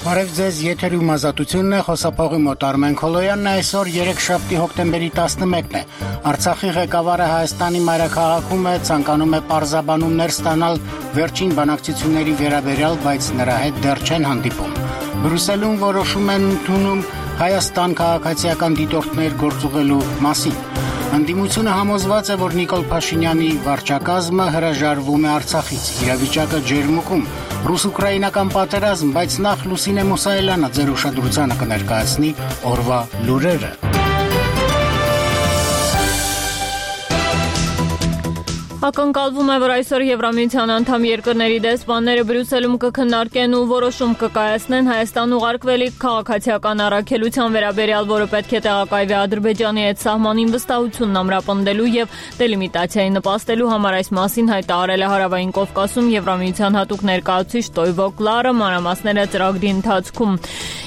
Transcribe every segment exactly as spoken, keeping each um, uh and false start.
Բարև ձեզ, եթերում ազատությունն է, խոսափողի մոտ Արմեն Քոլոյանն է, այսօր երեքշաբթի հոկտեմբերի տասնմեկն է։ Արցախի ղեկավարը Հայաստանի մայրաքաղաքում է, ցանկանում է պարզաբանումներ ստանալ վերջին բանակցությունների վերաբերյալ, բայց նրա հետ դեռ չեն հանդիպում։ Բրյուսելում որոշում են ընդունում Հայաստան քաղաքացիական դիտորդներ գործուղելու մասին։ Ընդդիմությունը համոզված է, որ Նիկոլ Փաշինյանի վարչակազմը հրաժարվում է Արցախից, իրավիճակը ջերմուկում, ռուս-ուկրաինական պատերազմ, բայց նախ Լուսինե Մուսայելյանը ձեր ուշադրությանը կներկայացնի օրվա լուրերը։ Ակնկալվում է, որ այսօր Եվրամիության անդամ երկրների դեսպանները Բրյուսելում կքննարկեն ու որոշում կկայացնեն Հայաստան ուղարկվելիք քաղաքացիական առաքելության վերաբերյալ, որը պետք է տեղակայվի Ադրբեջանի հետ սահմանին վստահությունն ամրապնդելու եւ դելիմիտացիայի նպաստելու համար, այս մասին հայտարարել է Հարավային Կովկասում Եվրամիության հատուկ ներկայացուցիչ Տոյվո Կլարը մանրամասները ծրագրի ընթացքում։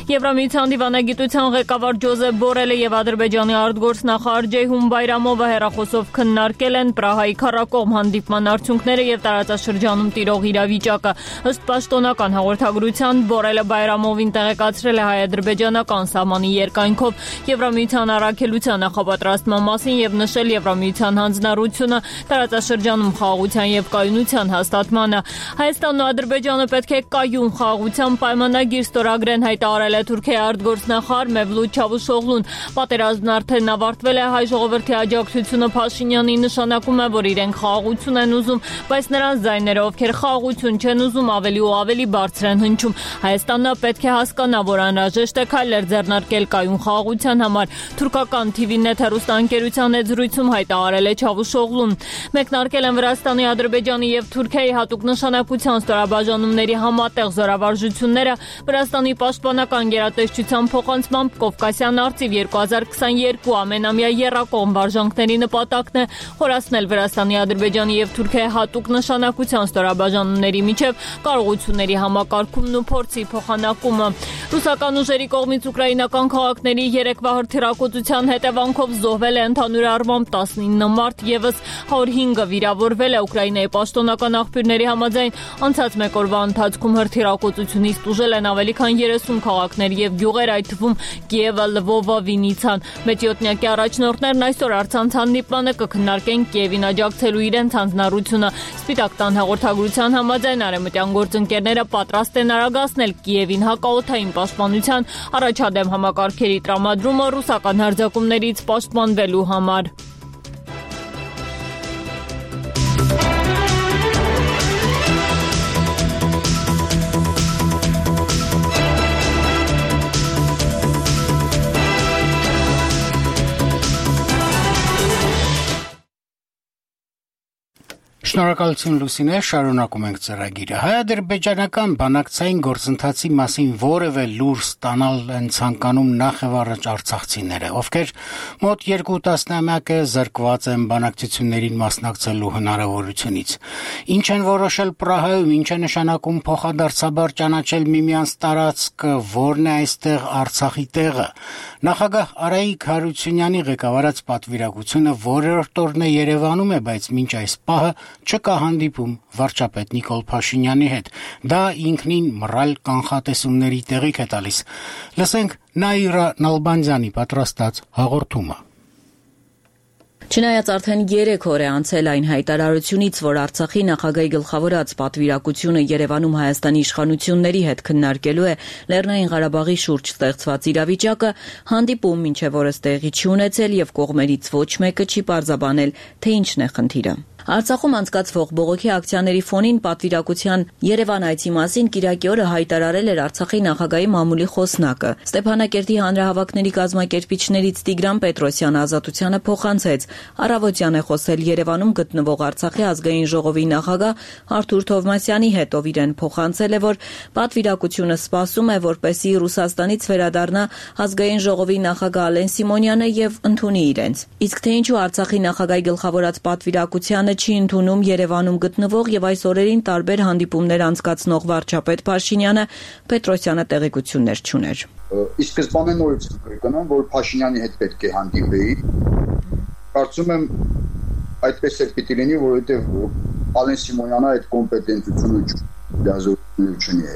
Եվրամիության դիվանագիտության ղեկավար Ջոզեփ Բորելը եւ Ադրբեջանի արտգործնախարար Ջեյհուն Բայրամովը հեռախոսով քննարկել են Պրահայի քառակողմ հանդիպման արդյունքները եւ տարածաշրջանում տիրող իրավիճակը։ Ըստ պաշտոնական հաղորդագրության Բորելը Բայրամովին տեղեկացրել է հայ-ադրբեջանական սահմանի երկայնքով Եվրամիության առաքելության նախապատրաստման մասին եւ նշել Եվրամիության հանձնառությունը տարածաշրջանում խաղաղության եւ կայունության հաստատմանը։ Հայաստանն ու Ադրբեջանը պետք է կայուն խաղաղության պայմանագիր ստորագրեն, հայտարարել է Թուրքիայի արտգործնախարար Մևլութ Չավուշօղլուն։ Պատերազմն արդեն ավարտվել է, հայ ժողովրդի աջակցությունը Փաշինյանի նշանակում է, որ իրենք խաղաղություն են ուզում, բայց նրանց ձայները, ովքեր խաղաղություն չեն ուզում, ավելի ու ավելի բարձր են հնչում։ Հայաստանը պետք է հասկանա, որ անհրաժեշտ է քայլեր ձեռնարկել կայուն խաղաղության համար։ Թուրքական Թի վի Net հեռուստաընկերության հետ զրույցում հայտարարել է Չավուշօղլուն։ Մեկնարկել են Վրաստանի, Ադրբեջանի եւ Թուրքիայի հատուկ նշանակության ստորաբաժանումների համատեղ զորավարժությունները։ Վրաստանի պաշտպանական գերատեսչության փոխանցմամբ Կովկասյան արծիվ երկու հազար քսաներկու ամենամյա եռակողմ վարժանքների նպատակն է խորացնել Վրաստանի, Ադրբեջանի եւ Թուրքիայի հատուկ նշանակության ստորաբաժանումների միջև կարողությունների համակարգումն ու փորձի փոխանակումը։ Ռուսական ուժերի կողմից ուկրաինական քաղաքների երեկվա հրթիռակոծության հետևանքով զոհվել է ընդհանուր առմամբ տասնինը մարդ, եւս հարյուր հինգը վիրավորվել է։ Ուկրաինայի պաշտոնական աղբյուրների համաձայն անցած մեկ օրվա ընթացքում հրթիռակոծությունից տուժել են ավելի քան երեսուն քաղաքներ եւ գյուղեր, այդ թվում Կիևը, Լվովը, Վինիցան։ Մեծյոտնյակի առաջնորդներն այսօր առցանց հանդիպմանը կքննարկեն Կիևին աջակցելու իրենց հանձնառությունը։ Սպիտակ տան հաղորդագրության համաձայն արևմտյան գործընկերները պատրաստ են արագացնել Կիևին հակաօդային պաշտպանության առաջադեմ համակարգերի տրամադրումը ռուսական հարձակումներից պաշտպանվելու համար։ Շնորհակալություն Լուսինե, շարունակում ենք ծրագիրը։ Հայ-ադրբեջանական բանակցային գործընթացի մասին որևէ լուր ստանալ են ցանկանում նախևառաջ արցախցիները, ովքեր մոտ երկու տասնամյակ է զրկված են բանակցություններին մասնակցելու հնարավորությունից։ Ինչ են որոշել Պրահայում, ինչ է նշանակում փոխադարձաբար ճանաչել միմյանց տարածքը, որն է այստեղ Արցախի տեղը։ Նախագահ Արայիկ Հարությունյանի ղեկավարած պատվիրակությունը որերորդ օրն է Երևանում է, բայց մինչ այս պահը չկա հանդիպում վարչապետ Նիկոլ Փաշինյանի հետ։ Դա ինքնին մռայլ կանխատեսումների տեղիք է տալիս։ Լսենք Նաիրա Նալբանդյանի պատրաստած հաղորդումը։ Չնայած արդեն երեք օր է անցել այն հայտարարությունից, որ Արցախի նախագահի գլխավորած պատվիրակությունը Երևանում Հայաստանի իշխանությունների հետ քննարկելու է Լեռնային Ղարաբաղի շուրջ ստեղծված իրավիճակը, հանդիպում մինչև օրս տեղի չի ունեցել եւ կողմերից ոչ մեկը չի պարզաբանել, թե ինչն է խնդիրը։ Արցախում անցկացվող բողոքի ակցիաների ֆոնին պատվիրակության Երևան այցի մասին կիրակի օրը հայտարարել էր Արցախի նախագահի մամուլի խոսնակը։ Ստեփանակերտի հանրահավաքների կազմակերպիչներից Տիգրան Պետրոսյանը Ազատությանը փոխանցեց։ Առավոտյան է խոսել Երևանում գտնվող Արցախի ազգային ժողովի նախագահ Արթուր Թովմասյանի հետ, ով իրեն փոխանցել է, որ պատվիրակությունը սպասում է, որպեսզի Ռուսաստանից վերադառնա ազգային ժողովի նախագահ Ալեն Սիմոնյանը եւ ընդունի իրենց։ Իսկ թե ինչու Արցախի նախագահի գլխավորած պատվիրակությանը չի ընդունում Երևանում գտնվող եւ այս օրերին տարբեր հանդիպումներ անցկացնող վարչապետ Փաշինյանը, Պետրոսյանը տեղեկություններ չուներ։ Իսկ սկզբանե նորից կգնամ, որ Փաշինյանի հետ պետք է հանդիպեի։ Կարծում եմ այդպես էլ պիտի լինի, որովհետեւ Ալեն Սիմոնյանը այդ կոմպետենտությունը չունի, չունի։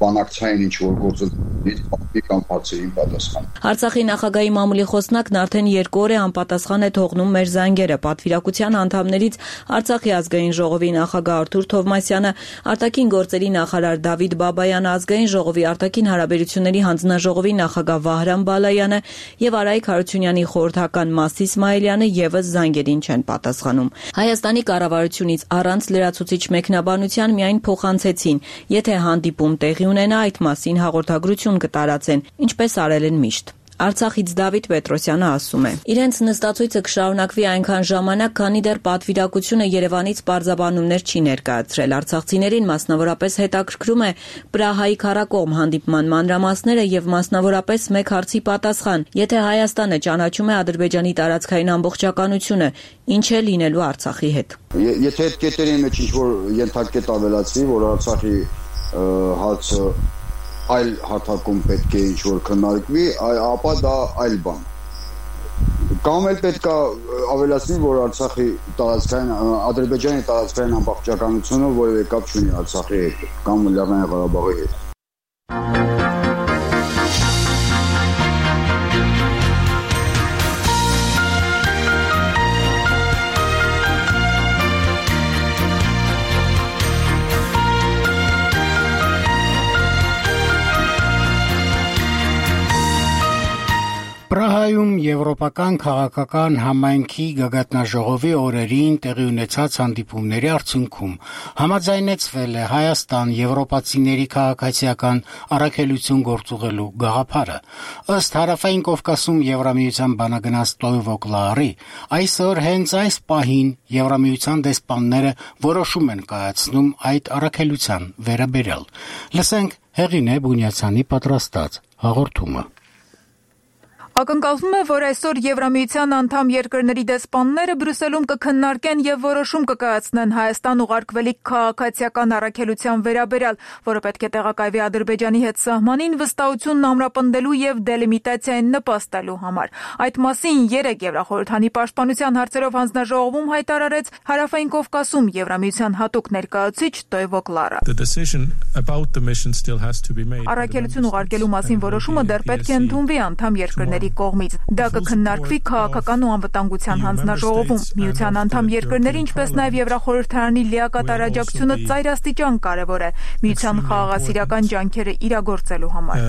բանակցային ինչ-որ գործընթացից պատվի կամ հարցերին պատասխան։ Արցախի նախագահի մամուլի խոսնակն արդեն երկու օր է անպատասխան է թողնում մեր զանգերը։ Պատվիրակության անդամներից Արցախի ազգային ժողովի նախագահ Արթուր Թովմասյանը, արտաքին գործերի նախարար Դավիթ Բաբայանը, ազգային ժողովի արտաքին հարաբերությունների հանձնաժողովի նախագահ Վահրամ Բալայանը եւ Արայիկ Հարությունյանի խորհրդական Մաս Իսմայելյանը եւս զանգերին չեն պատասխանում։ Հայաստանի կառավարությունից առանց լրացուցիչ մեկնաբանության միայն փոխանցեցին, եթե հանդիպում տեղի ունենա, այդ մասին հաղորդագրություն կտարածեն, ինչպես արել են միշտ։ Արցախից Դավիթ Պետրոսյանը ասում է. Իրենց նստածույցը կշարունակվի այնքան ժամանակ, քանի դեռ պատվիրակությունը Երևանից պարզաբանումներ չի ներկայացրել։ Արցախցիներին մասնավորապես հետաքրքրում է Պրահայի քառակողմ հանդիպման մանրամասները եւ մասնավորապես մեկ հարցի պատասխան. եթե Հայաստանը ճանաչում է Ադրբեջանի տարածքային ամբողջականությունը, ինչ է լինելու Արցախի հետ։ Եթե այդ կետերի մեջ ինչ-որ ենթակետ ավելացվի, որ Արցախի հարցը այլ հարթակում պետք է ինչ-որ քննարկվի, ապա դա այլ բան։ Կամ էլ պետք է ավելացնի, որ Արցախի տարածքային, Ադրբեջանի տարածքային ամբողջականությունը որևէ կապ չունի Արցախի հետ, կամ Լեռնային Ղարաբաղի հետ։ Պրահայում Եվրոպական քաղաքական համայնքի գագաթնաժողովի օրերին տեղի ունեցած հանդիպումների արդյունքում համաձայնեցվել է Հայաստան եվրոպացիների քաղաքացիական առաքելություն գործուղելու գաղափարը։ Ըստ Հարավային Կովկասում Եվրամիության բանագնաց Տոյվո Կլարի, այսօր հենց այս պահին Եվրամիության դեսպանները որոշում են կայացնում այդ առաքելության վերաբերյալ։ Լսենք Հեղինե Բունյացյանի պատրաստած հաղորդումը։ Ակնկալվում է, որ այսօր Եվրամիության անդամ երկրների դեսպանները Բրյուսելում կքննարկեն եւ որոշում կկայացնեն Հայաստան ուղարկվելիք քաղաքացիական առաքելության վերաբերյալ, որը պետք է տեղակայվի Ադրբեջանի հետ սահմանին վստահությունն ամրապնդելու եւ դելիմիտացիային նպաստելու համար։ Այդ մասին երեկ Եվրախորհրդանի պաշտպանության հարցերով հանձնաժողովում հայտարարեց Հարավային Կովկասում Եվրամիության հատուկ ներկայացուցիչ Տոյվո Կլարը։ Առաքելություն ուղարկելու մասին որոշումը դեռ պետք է ընդունվի անդամ երկրների կողմից։ Դա կքննարկվի քաղաքական ու անվտանգության հանձնաժողովում։ Միության անդամ երկրների, ինչպես նաև Եվրախորհրդարանի լիակատար աջակցությունը ծայրաստիճան կարևոր է միության խաղաղասիրական ջանքերը իրագործելու համար։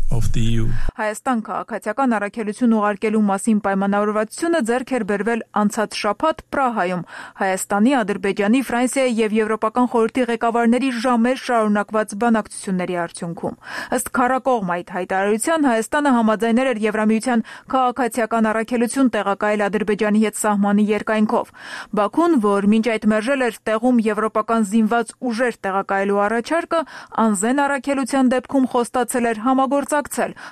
Հայաստան քաղաքացիական առաքելություն ուղարկելու մասին պայմանավորվածությունը ձեռք էր բերվել անցած շաբաթ Պրահայում Հայաստանի, Ադրբեջանի, Ֆրանսիայի եւ Եվրոպական խորհրդի ղեկավարների ժամեր շարունակված բանակցությունների արդյունքում։ Ըստ քառակողմ այդ հայտարարության Հայաստանը համաձայնել էր Եվրամիության քաղաքացիական առաքելություն տեղակայել Ադրբեջանի հետ սահմանի երկայնքով։ Բաքուն, որ մինչ այդ մերժել էր տեղում եվրոպական զինված ուժեր տեղակայելու առաջարկը, անզեն առաքելության դեպքում խոստացել էր համագործակցել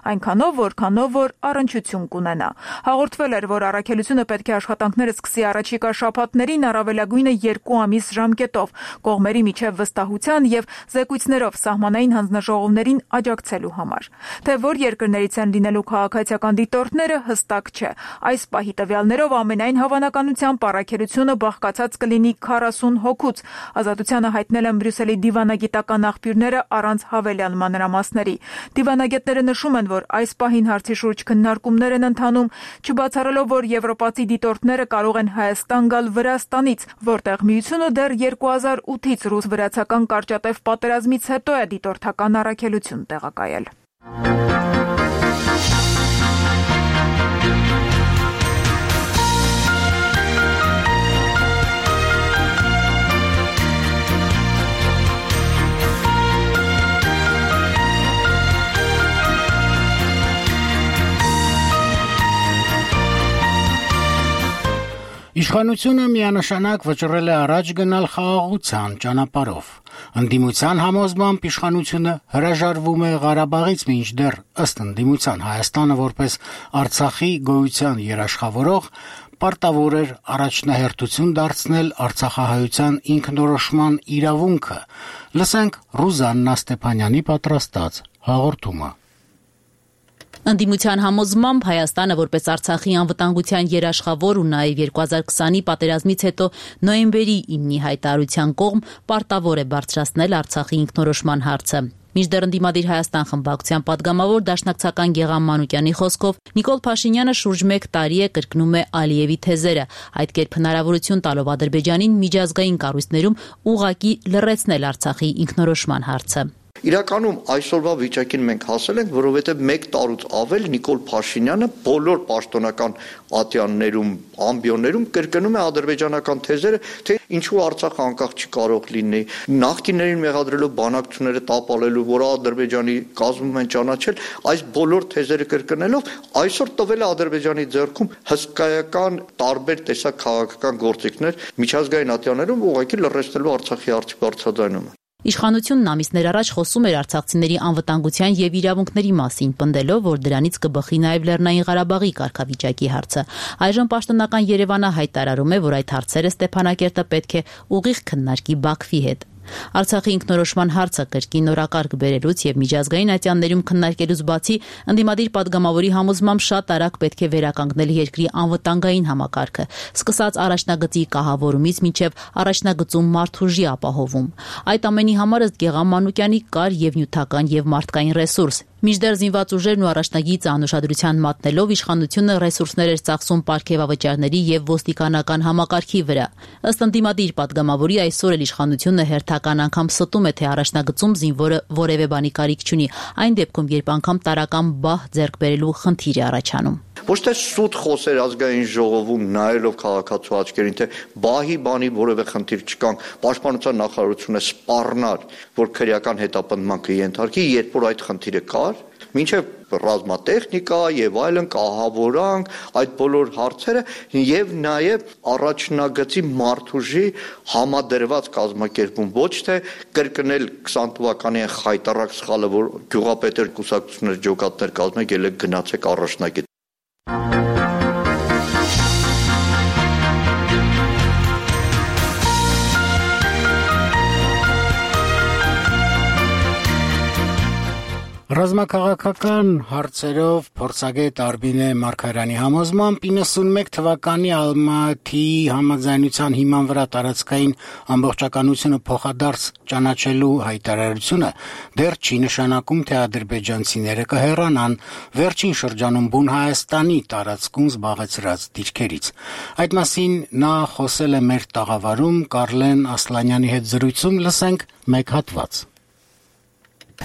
այնքանով, որքանով որ առնչություն կունենա։ Հաղորդվել էր, որ առաքելությունը պետք է աշխատանքները սկսի առաջիկա շաբաթներին առավելագույնը երկու ամիս ժամկետով, կողմերի միջև վստահության եւ զեկույցներով սահմանային հանձնաժողովներին աջակցելու համար։ Թե որ երկրներից են լինելու քաղաքացիական դիտորդները հստակ չէ։ Այս պահի տվյալներով ամենայն հավանականությամբ առաքելությունը բաղկացած կլինի քառասուն հոգուց։ Ազատությանը հայտնել են Բրյուսելի դիվանագիտական աղբյուրները առանց հավելյալ մանրամասների։ Դիվանագետները նշում են, որ այս պահին հարցի շուրջ քննարկումներ են ընթանում, չբացառելով, որ եվրոպացի դիտորդները կարող են Հայաստան գալ Վրաստանից, որտեղ միությունը դեռ երկու հազար ութից ռուս-վրացական կարճատև պատերազմից հետո է դիտորդական առաքելություն տեղակայել։ Իշխանությունը միանշանակ վճռել է առաջ գնալ խաղաղության ճանապարհով։ Ընդդիմության համոզմամբ իշխանությունը հրաժարվում է Ղարաբաղից, մինչդեռ ըստ ընդդիմության Հայաստանը որպես Արցախի գոյության երաշխավորող պարտավոր էր առաջնահերթություն դարձնել արցախահայության ինքնորոշման իրավունքը։ Լսենք Ռուզաննա Ստեփանյանի պատրաստած հաղորդումը։ Ընդդիմության համոզմամբ Հայաստանը որպես Արցախի անվտանգության երաշխավոր ու նաև երկու հազար քսանի պատերազմից հետո նոյեմբերի իննի հայտարարության կողմ պարտավոր է բարձրացնել Արցախի ինքնորոշման հարցը։ Մինչդեռ ընդդիմադիր Հայաստան խմբակցության պատգամավոր դաշնակցական Գեղամ Մանուկյանի խոսքով Նիկոլ Փաշինյանը շուրջ մեկ տարի է կրկնում է Ալիևի թեզերը, այդ կերպ հնարավորություն տալով Ադրբեջանին միջազգային կառույցներում ուղղակի լռեցնել Արցախի ինքնորոշման հարցը։ Իրականում այսօրվա վիճակին մենք հասել ենք, որովհետև մեկ տարուց ավել Նիկոլ Փաշինյանը բոլոր պաշտոնական ատյաններում, ամբիոններում կրկնում է ադրբեջանական թեզերը, թե ինչու Արցախը անկախ չի կարող լինի, նախկիններին մեղադրելով բանակցությունները տապալելու, որ Ադրբեջանի կազմում են ճանաչել, այս բոլոր թեզերը կրկնելով այսօր տվել է Ադրբեջանի ձեռքում հսկայական տարբեր տեսակ քաղաքական գործիքներ միջազգային ատյաններում ուղղակի լռեցնելու Արցախի հարցի բարձրաձայնումը։ Իշխանությունն ամիսներ առաջ խոսում էր արցախցիների անվտանգության եւ իրավունքների մասին, պնդելով, որ դրանից կբխի նաեւ Լեռնային Ղարաբաղի կարգավիճակի հարցը։ Այժմ պաշտոնական Երևանը հայտարարում է, որ այդ հարցերը Ստեփանակերտը պետք է ուղիղ քննարկի Բաքվի հետ։ Արցախի ինքնորոշման հարցը կրկին օրակարգ բերելուց եւ միջազգային ատյաններում քննարկելուց բացի ընդդիմադիր падգամավորի համոզմամբ շատ արագ պետք է վերականգնել երկրի անվտանգային համակարգը, սկսած առաջնագծի կահավորումից մինչեւ առաջնագծում մարդուժի ապահովում։ Այդ ամենի համար ըստ Գեղամ Մանուկյանի կար եւ նյութական եւ մարդկային ռեսուրս։ Մինչդեռ զինված ուժերն ու առաջնագիծը անուշադրության մատնելով իշխանությունը ռեսուրսներ էր ծախսում պարգևավճարների եւ ոստիկանական համակարգի վրա։ Ըստ ընդդիմադիր падգամավորի այսօր էլ իշխանությունը հերթական անգամ ստում է, թե առաջնագծում զինվորը որևէ բանի կարիք չունի, այն դեպքում, երբ անգամ տարական բահ ձեռք բերելու խնդիր է առաջանում։ Ոչ թե սուտ խոսեր ազգային ժողովում նայելով քաղաքացու աչքերին, թե բահի բանի որևէ խնդիր չկան, պաշտպանության նախարարությունը սպառնար, որ քրեական հետապնդման կենթարկի, երբ որ այդ խնդիրը կար, մինչև ռազմատեխնիկա եւ այլն կահավորանք, այդ բոլոր հարցերը եւ նաեւ առաջնագծի մարդուժի համադրված կազմակերպում, ոչ թե կրկնել քսան թվականի խայտարակ սխալը, որ գյուղապետեր կուսակցություններ ջոկատներ կազմեք, ելեք գնացեք առաջնագիծ։ Ռազմաքաղաքական հարցերով փորձագետ Արբինե Մարգարյանի համոզմամբ իննսունմեկ թվականի Ալմատիի համաձայնության հիման վրա տարածքային ամբողջականությունը փոխադարձ ճանաչելու հայտարարությունը դեռ չի նշանակում, թե ադրբեջանցիները կհեռանան վերջին շրջանում բուն Հայաստանի տարածքում զբաղեցրած դիրքերից։ Այդ մասին նա խոսել է մեր տաղավարում Կարլեն Ասլանյանի հետ զրույցում, լսենք մեկ հատված։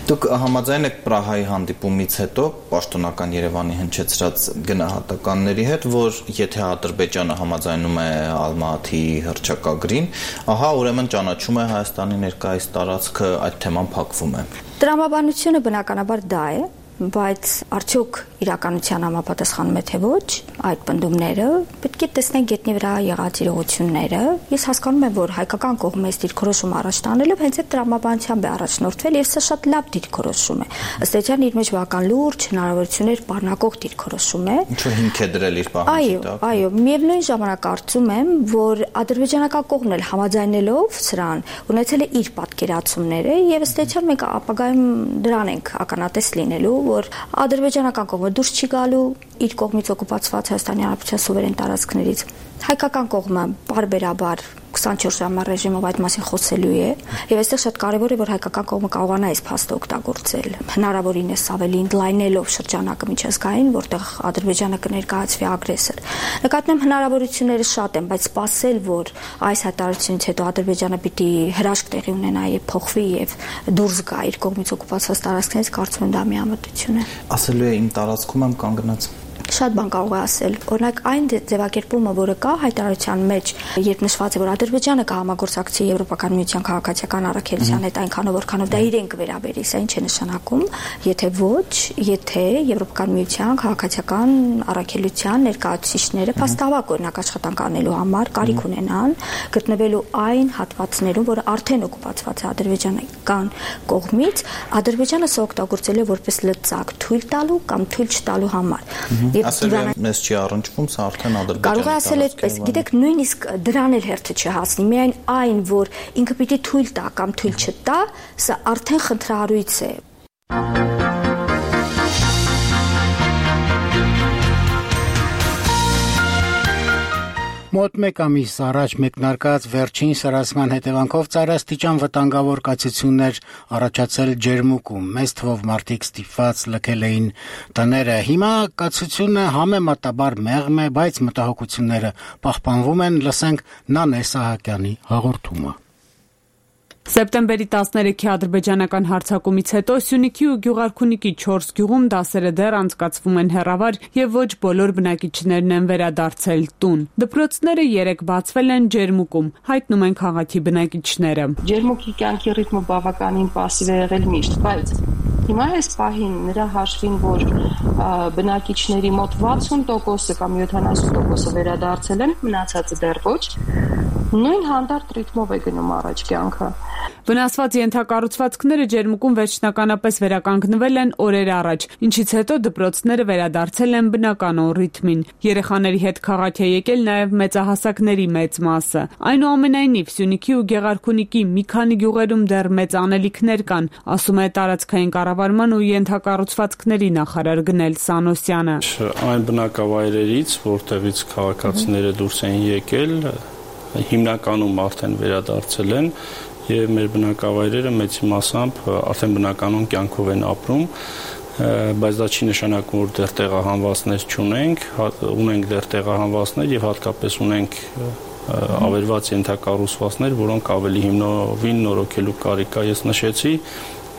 Դուք համաձայն եք Պրահայի հանդիպումից հետո պաշտոնական Երևանի հնչեցրած գնահատականների հետ, որ եթե Ադրբեջանը համաձայնում է Ալմատիի հռչակագրին, ահա ուրեմն ճանաչում է Հայաստանի ներկայիս տարածքը, այդ թեման փակվում է։ Տրամաբանությունը բնականաբար դա է, բայց արդյոք իրականության համապատասխանում է թե ոչ, այդ պնդումները պետք է տեսնենք գետնի վրա եղած իրողությունները։ Ես հասկանում եմ, որ հայկական կողմից դիրքորոշում առաջ տանելով հենց այդ տրամաբանությամբ է առաջնորդվել եւ սա շատ լավ դիրքորոշում է։ Ըստ էության իր մեջ բավական լուրջ հնարավորություններ բառնակող դիրքորոշում է։ Ինչու հիմք է դրել իր պահանջի տակ։ Այո, այո, միևնույն ժամանակ կարծում եմ, որ ադրբեջանական կողմն էլ համաձայնելով սրան ունեցել է իր պատկերացումները եւ ըստ էության մենք ապագայում դրան ենք ականատես լինելու, որ ադրբեջանական կողմը դուրս չի գալու իր կողմից օկուպացված Հայաստանի Հանրապետության սուվերեն տարածքներից։ Հայկական կողմը բարբերաբար քսանչորս ժամյա ռեժիմով այդ մասին խոսելու է եւ այստեղ շատ կարեւոր է, որ հայկական կողմը կարողանա այս փաստը օգտագործել, հնարավորինս ավելի ընդլայնելով շրջանակը միջազգային, որտեղ Ադրբեջանը կներկայացվի ագրեսոր։ Նկատեմ հնարավորությունները շատ են, բայց սպասել, որ այս հայտարարությունից հետո Ադրբեջանը պիտի հրաշք տեղի ունենա եւ փոխվի եւ դուրս գա իր կողմից օկուպացված տարածքներից, կարծում եմ դա միամտություն է։ Ասելու է իմ տարածքում եմ կանգնած։ Շատ բան կարող է ասել։ Օրինակ այն ձևակերպումը, որը կա հայտարարության մեջ, երբ նշված է, որ Ադրբեջանը կհամագործակցի Եվրոպական միության քաղաքացիական առաքելության հետ այնքանով, որքանով դա իրեն կվերաբերի, սա ինչ է նշանակում, եթե ոչ, եթե Եվրոպական միության քաղաքացիական առաքելության ներկայացուցիչները փաստավակ օրինակ աշխատանք անելու համար կարիք ունենան գտնվելու այն հատվածներում, որը արդեն օկուպացված է ադրբեջանական կողմից, Ադրբեջանը սա օգտագործել է որպես լծակ թույլ տալու կամ թույլ չտալու համար։ Ասել է, մեզ չի առնչվում, սա արդեն Ադրբեջանի կարող է ասել այդպես, գիտեք, նույնիսկ դրան էլ հերթը չհասնի, միայն այն, որ ինքը պիտի թույլ տա կամ թույլ չտա, սա արդեն խնդրահարույց է։ Մոտ մեկ ամիս առաջ մեկնարկած վերջին սրասման հետևանքով ծայրաստիճան վտանգավոր կացություններ առաջացել Ջերմուկում, մեծ թվով մարդիկ ստիպված լքել էին տները։ Հիմա կացությունը համեմատաբար մեղմ է, բայց մտահոգությունները պահպանվում են, լսենք Նանե Սահակյանի հաղորդումը։ Սեպտեմբերի տասներեքի ադրբեջանական հարձակումից հետո Սյունիքի ու Գյուղարքունիքի չորս գյուղում դասերը դեռ անցկացվում են հեռավար եւ ոչ բոլոր բնակիչներն են վերադարձել տուն։ Դպրոցները երեք բացվել են Ջերմուկում, հայտնում են քաղաքի բնակիչները։ Ջերմուկի կյանքի ռիթմը բավականին պասիվ է եղել միշտ, բայց հիմա այս պահին նրա հաշվին, որ բնակիչների մոտ վաթսուն տոկոսը կամ յոթանասուն տոկոսը վերադարձել են, մնացածը դեռ ոչ, նույն հանդարտ ռիթմով է գնում առաջ կյանքը։ Վնասված ենթակառուցվածքները Ջերմուկում վերջնականապես վերականգնվել են օրեր առաջ, ինչից հետո դպրոցները վերադարձել են բնականոն ռիթմին։ Երեխաների հետ քաղաք է եկել նաև մեծահասակների մեծ մասը։ Այնուամենայնիվ, Սյունիքի ու Գեղարքունիքի մի քանի գյուղերում դեռ մեծ անելիքներ կան, ասում է տարածքային կառավարման ու ենթակառուցվածքների նախարար Գնել Սանոսյանը։ Այն բնակավայրերից, որտեղից քաղաքացիները դուրս են եկել, հիմնականում արդեն վերադարձել են եւ մեր բնակավայրերը մեծի մասամբ արդեն բնականon կյանքով են ապրում, բայց դա չի նշանակում, որ դեռ տեղահանվածներ չունենք, ունենք դեռ տեղահանվածներ եւ հատկապես ունենք ավերված ենթակառուցվածքներ, որոնք ավելի հիմնովին նորոգելու կարիք կա։ Ես նշեցի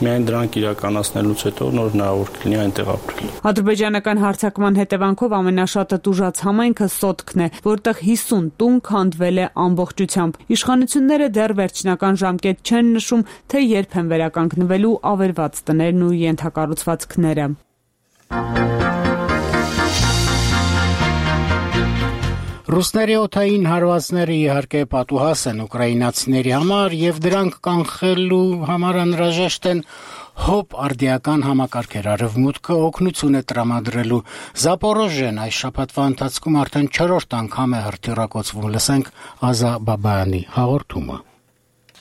միայն դրանք իրականացնելուց հետո նոր հնարավոր կլինի այնտեղ ապրել։ Ադրբեջանական հարձակման հետևանքով ամենաշատը տուժած համայնքը Սոտքն է, որտեղ հիսուն տուն քանդվել է ամբողջությամբ։ Իշխանությունները դեռ վերջնական ժամկետ չեն նշում, թե երբ են վերականգնվելու ավերված տներն ու ենթակառուցվածքները։ Ռուսների օդային հարվածները իհարկե պատուհաս են ուկրաինացիների համար եւ դրանք կանխելու համար անհրաժեշտ են հոբ արդիական համակարգեր։ Արևմուտքը օգնություն է տրամադրելու։ Զապորոժեն այս շաբաթվա ընթացքում արդեն չորրորդ անգամ է հրթիռակոծվում։ Լսենք Ազա Բաբայանի հաղորդումը։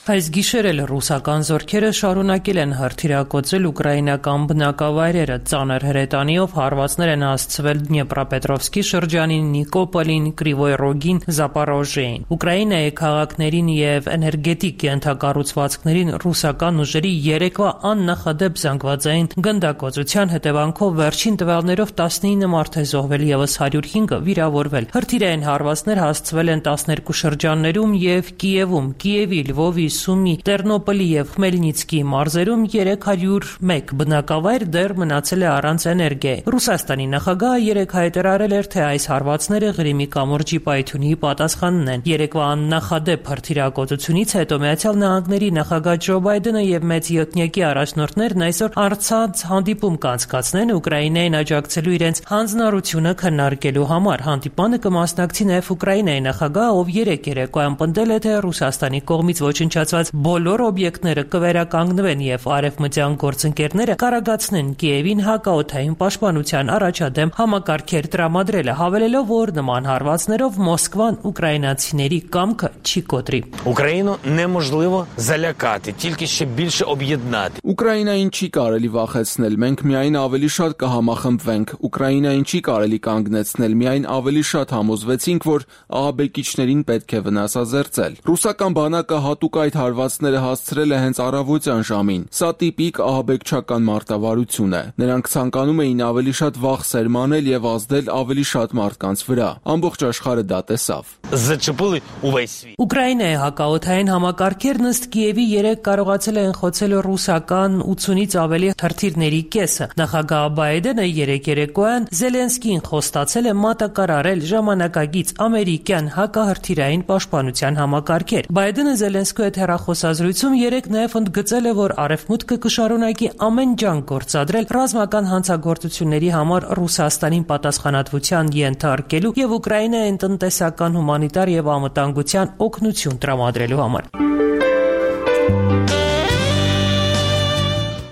Այս գիշեր էլ ռուսական զորքերը շարունակել են հրթիռակոծել ուկրաինական բնակավայրերը, ծանր հրետանիով հարվածներ են հասցվել Դնեպրոպետրովսկի շրջանին, Նիկոպոլին, Կրիվոյ Ռոգին, Զապորոժեին։ Ուկրաինայի քաղաքներին եւ էներգետիկ ենթակառուցվածքներին ռուսական ուժերի երեկվա աննախադեպ զանգվածային գնդակոծության հետևանքով վերջին տվյալներով տասնինը մարդ է զոհվել, եւս հարյուր հինգը վիրավորվել։ Հրթիռային հարվածներ հասցվել են տասներկու շրջաններում եւ Կիևում, Կիևի, Լվովի, Սումի, Տերնոպոլի եւ Խմելնիցկի մարզերում երեք հարյուր մեկ բնակավայր դեռ մնացել է առանց էներգիայի։ Ռուսաստանի նախագահը երեկ հայտարարել էր, թե այս հարվածները Ղրիմի կամուրջի պայթյունի պատասխանն են։ Երեկվա աննախադեպ հրթիռակոծությունից հետո Միացյալ Նահանգների նախագահ Ջո Բայդենը եւ մեծ յոթնյակի առաջնորդներն այսօր առցանց հանդիպում կանցկացնեն Ուկրաինային աջակցելու իրենց հանձնառությունը քննարկելու համար։ Հանդիպանը կմասնակցի նաեւ Ուկրաինայի նախագահը, ով երեկ երեկոյան պնդել է, թե Ռուսաստանի կողմից ոչնչացված բոլոր օբյեկտները կվերականգնվեն եւ արևմտյան գործընկերները կարագացնեն Կիևին հակաօդային պաշտպանության առաջադեմ համակարգեր տրամադրելը, հավելելով, որ նման հարվածներով Մոսկվան ուկրաինացիների կամքը չի կոտրի։ Ուկրաինу неможливо залякати, тільки ще більше об'єднати։ Ուկրաինային չի կարելի վախեցնել, մենք միայն ավելի շատ կհամախմբվենք։ Ուկրաինային չի կարելի կանգնեցնել, միայն ավելի շատ համոզվեցինք, որ ահաբեկիչներին պետք է վնասազերծել։ Ռուսական բանակը հատուկ այդ հարվածները հասցրել է հենց առավոտյան ժամին։ Սա տիպիկ ահաբեկչական մարտավարություն է։ Նրանք ցանկանում էին ավելի շատ վախ սերմանել եւ ազդել ավելի շատ մարդկանց վրա։ Ամբողջ աշխարհը դա տեսավ։ Зачепили увесь світ։ Ուկրաինայի հակաօդային համակարգերն ըստ Կիևի երեք կարողացել են խոցել ռուսական ութունից ավելի հրթիռների կեսը։ Նախագահ Բայդենը երեկ երեկոյան Զելենսկին խոստացել է մատակարարել ժամանակակից ամերիկյան հակահրթիռային պաշտպանության համակարգեր։ Բայդենը Զելենսկու հետ հեռախոսազրույցում երեկ նաև ընդգծել է, որ Արևմուտքը կշարունակի ամեն ջանք գործադրել ռազմական հանցագործությունների համար Ռուսաստանին պատասխանատվության ենթարկելու եւ Ուկրաինային տնտեսական, հումանիտար եւ անվտանգության օգնություն տրամադրելու համար։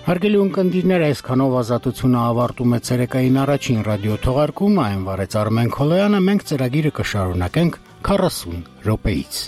Հարգելի ունկնդիրներ, այսքանով ազատությունը ավարտում է ցերեկային առաջին ռադիո թողարկումը, այն վարեց Արմեն Քոլոյանը, մենք ծրագիրը կշարունակենք քառասուն րոպեից։